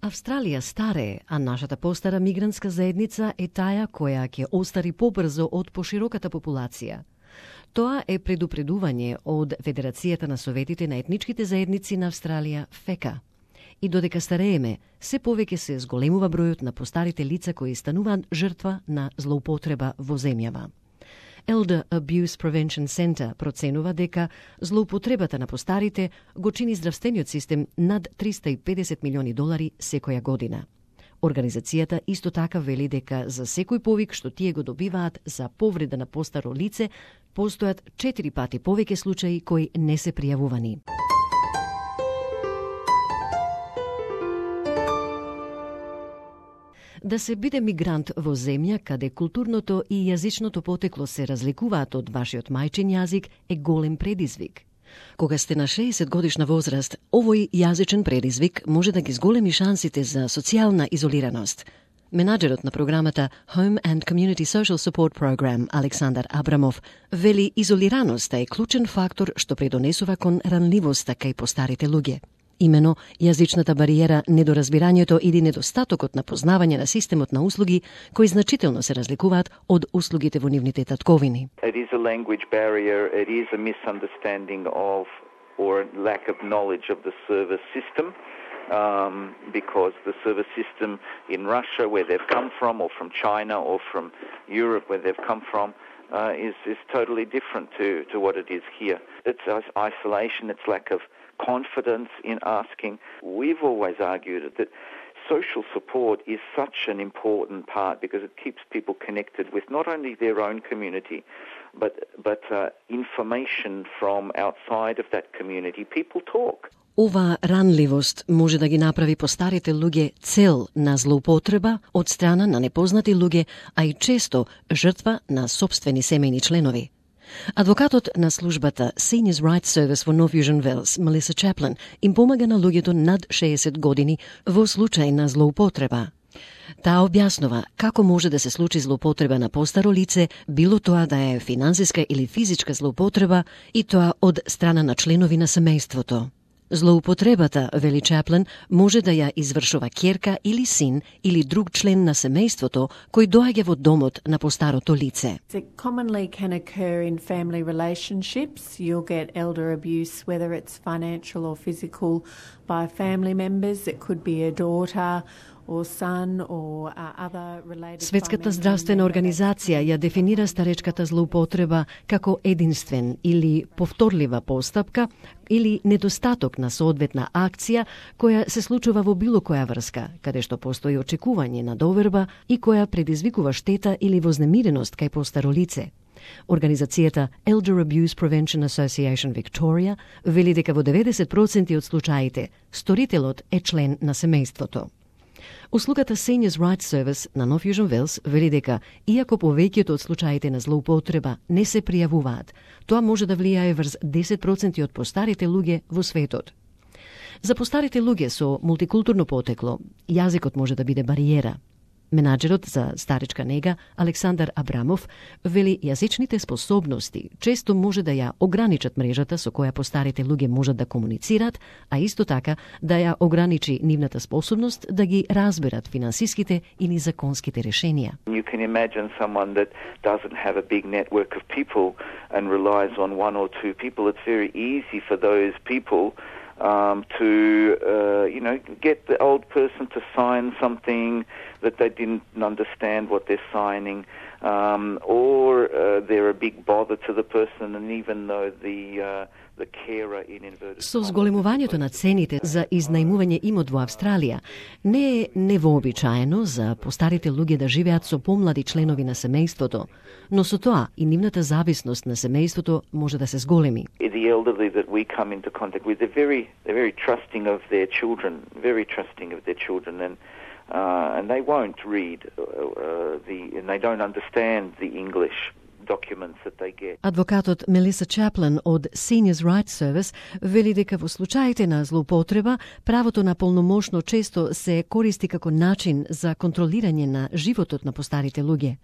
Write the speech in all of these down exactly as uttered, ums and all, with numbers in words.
Австралија старее, а нашата постара мигрантска заедница е таа која ќе остари побрзо од пошироката популација. Тоа е предупредување од Федерацијата на советите на етничките заедници на Австралија, ФЕКА. И додека старееме, се повеќе се зголемува бројот на постарите лица кои стануваат жртва на злоупотреба во земјава. Elder Abuse Prevention Center проценува дека злоупотребата на постарите го чини здравствениот систем над триста и педесет милиони долари секоја година. Организацијата исто така вели дека за секој повик што тие го добиваат за повреда на постаро лице, постојат четири пати повеќе случаи кои не се пријавувани. Да се биде мигрант во земја каде културното и јазичното потекло се разликуваат од вашиот мајчин јазик е голем предизвик. Кога сте на шеесет годишна возраст, овој јазичен предизвик може да ги зголеми шансите за социјална изолираност. Менаџерот на програмата Home and Community Social Support Program, Александар Абрамов, вели изолираноста е клучен фактор што предонесува кон ранливоста кај постарите луѓе. Имено, јазичната бариера, недоразбирањето или недостатокот на познавање на системот на услуги, кои значително се разликуваат од услугите во нивните татковини. It is a language barrier, it is a misunderstanding of or lack of knowledge of the service system, um, because the service system in Russia, where they've come from, or from China, or from Europe, where they've come from, uh, is, is totally different to, to what it is here. It's isolation, it's lack of confidence in asking. We've always argued that social support is such an important part because it keeps people connected with not only their own community, but but uh, information from outside of that community. People talk. Ова ранливост може да ги направи постарите луѓе цел на злоупотреба од страна на непознати луѓе, а и често жртва на сопствени семејни членови. Адвокатот на службата Seniors Rights Service во North Fusion Wells, Melissa Chaplin, им помага на луѓето над шеесет години во случај на злоупотреба. Таа објаснува како може да се случи злоупотреба на постаро лице, било тоа да е финансиска или физичка злоупотреба, и тоа од страна на членови на семејството. Злоупотребата, вели Чаплин, може да ја извршува ќерка или син или друг член на семејството кој доаѓа во домот на постарото лице. It commonly can occur in family relationships. You'll get elder abuse, whether it's financial or physical, by family members. It could be a daughter or son or other related. Светската здравствена организација ја дефинира старечката злоупотреба како единствен или повторлива постапка или недостаток на соодветна акција која се случува во било која врска, каде што постои очекување на доверба и која предизвикува штета или вознемиреност кај постаро лице. Организацијата Elder Abuse Prevention Association Victoria вели дека во деветдесет проценти од случаите сторителот е член на семејството. Услугата Seniors Rights Service на North Fusion Wells вели дека, иако повеќето од случаите на злоупотреба не се пријавуваат, тоа може да влијае врз десет проценти од постарите луѓе во светот. За постарите луѓе со мултикултурно потекло, јазикот може да биде бариера. Менаџерот за старечка нега, Александар Абрамов, вели јазичните способности често може да ја ограничат мрежата со која постарите луѓе можат да комуницираат, а исто така да ја ограничи нивната способност да ги разберат финансиските или законските решенија. You can imagine someone that doesn't have a big network of people and relies on one or two people. It's very easy for those people Um, to, uh, you know, get the old person to sign something that they didn't understand what they're signing, um, or uh, they're a big bother to the person, and even though the uh, the carer in inverted. Со зголемувањето на цените за изнајмување имот во Австралија, не е невообичаено за постарите луѓе да живеат со помлади членови на семејството, но со тоа и нивната зависност на семејството може да се зголеми. The elderly that we come into contact with, they're very, they're very trusting of their children, very trusting of their children, and uh, and they won't read uh, the, and they don't understand the English documents that they get. Адвокатот Мелиса Чаплин од Seniors Rights Service вели дека во случаите на злоупотреба, правото на полномошно често се користи како начин за контролирање на животот на постарите луѓе.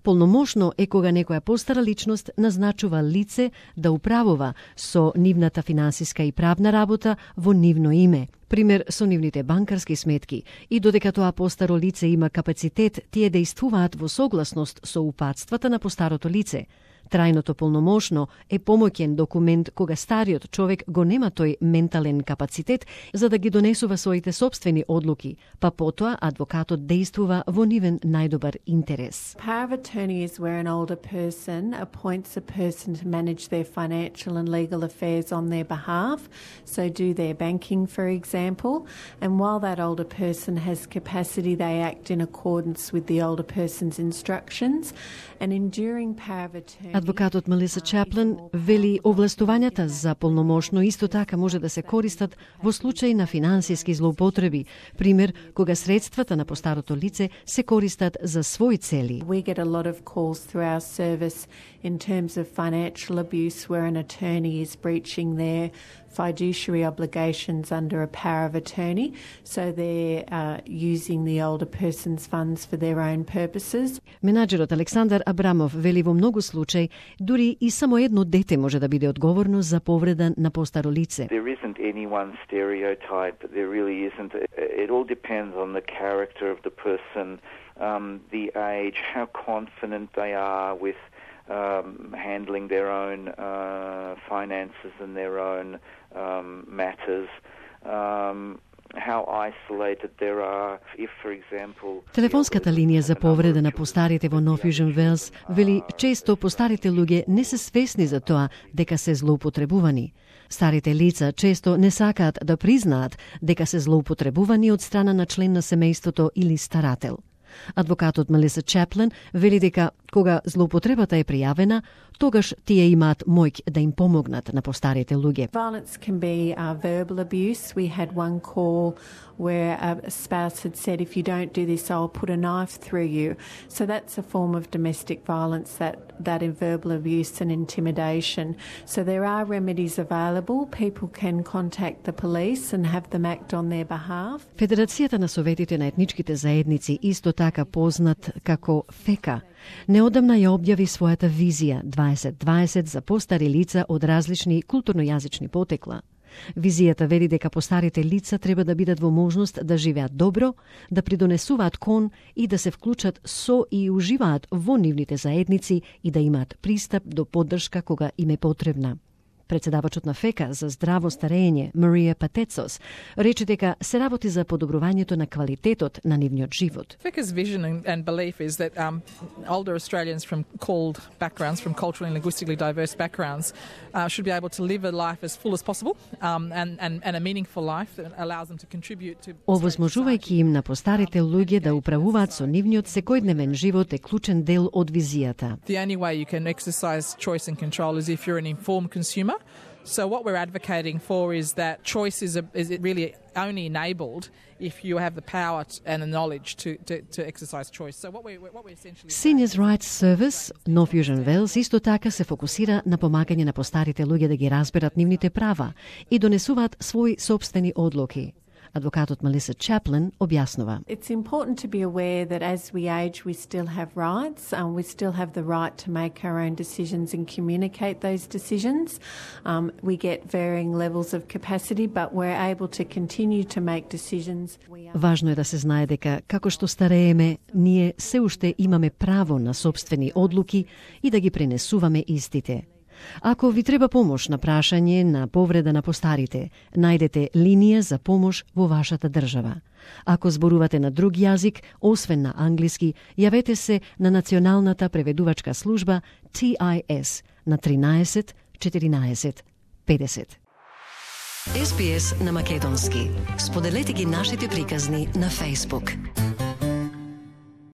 Полномошно е кога некоја постара личност назначува лице да управува со нивната финансиска и правна работа во нивно име, пример со нивните банкарски сметки, и додека тоа постаро лице има капацитет, тие действуваат во согласност со упатствата на постарото лице. Трајното полномошно е помоќен документ кога стариот човек го нема тој ментален капацитет за да ги донесува своите собствени одлуки, па потоа адвокатот действува во нивен најдобар интерес. Power of attorney is where an older person appoints a person to manage their financial and legal affairs on their behalf, so do their banking, for example, and while that older person has capacity, they act in accordance with the older person's instructions. An enduring power of attorney. Адвокатот Мелиса Чаплин вели овластувањата за полномошно исто така може да се користат во случај на финансиски злоупотреби, пример кога средствата на постарото лице се користат за своји цели. We get a lot of calls through our service in terms of financial abuse where an attorney is breaching their fiduciary obligations under a power of attorney, so they're uh, using the older person's funds for their own purposes. Менаџерот Александар Абрамов вели во многу случаи дури и само едно дете може да биде одговорно за повреда на постаро лице. There isn't any one stereotype, there really isn't. It all depends on the character of the person, um, the age, how confident they are with um, handling their own uh, finances and their own um, matters. Um, how isolated there are, if for example... Телефонската линија за повреда на постарите во North Fusion Wales вели често постарите луѓе не се свесни за тоа дека се злоупотребувани. Старите лица често не сакаат да признаат дека се злоупотребувани од страна на член на семејството или старател. Адвокатот Мелиса Чаплин вели дека кога злоупотребата е пријавена, тогаш тие имаат моќ да им помогнат на постарите луѓе. Violence can be uh, verbal abuse. We had one call where a spouse had said, if you don't do this, I'll put a knife through you. So that's a form of domestic violence, that, that in verbal abuse and intimidation. So there are remedies available. People can contact the police and have them act on their behalf. Федерацијата на советите на етничките заедници, исто така познат како ФЕКА, неодамна ја објави својата визија дваесет дваесет за постари лица од различни културно-јазични потекла. Визијата вели дека постарите лица треба да бидат во можност да живеат добро, да придонесуваат кон и да се вклучат со и уживаат во нивните заедници и да имаат пристап до поддршка кога им е потребна. Председавачот на ФЕКА за здраво старење, Марија Патецос, рече дека се работи за подобрувањето на квалитетот на нивниот живот. FECA's vision and, and belief is that um, older Australians from called backgrounds, from culturally and linguistically diverse backgrounds, uh, should be able to live a life as full as possible um, and, and, and a meaningful life that allows them to contribute to... Овозможувајќи им на постарите луѓе да управуваат со нивниот секојдневен живот е клучен дел од визијата. The only way you can exercise choice and control is if you're an informed consumer. So what we're advocating for is that choice is, a, is really only enabled if you have the power and the knowledge to, to, to exercise choice. So what we what we essentially Seniors Rights Service, North Fusion Wales, исто така се фокусира на помагање на постарите луѓе да ги разберат нивните права и донесуваат своји собствени одлуки. Адвокатот Мелиса Чаплин објаснува. It's important to be aware that as we age, we still have rights. Um, we still have the right to make our own decisions and communicate those decisions. Um, we get varying levels of capacity, but we're able to continue to make decisions. Важно е да се знае дека како што старееме, ние се уште имаме право на собствени одлуки и да ги пренесуваме истите. Ако ви треба помош на прашање на повреда на постарите, најдете линија за помош во вашата држава. Ако зборувате на друг јазик, освен на англиски, јавете се на Националната преведувачка служба Т И С на тринаесет четиринаесет педесет. Ес Би Ес на македонски. Споделете ги нашите приказни на Facebook.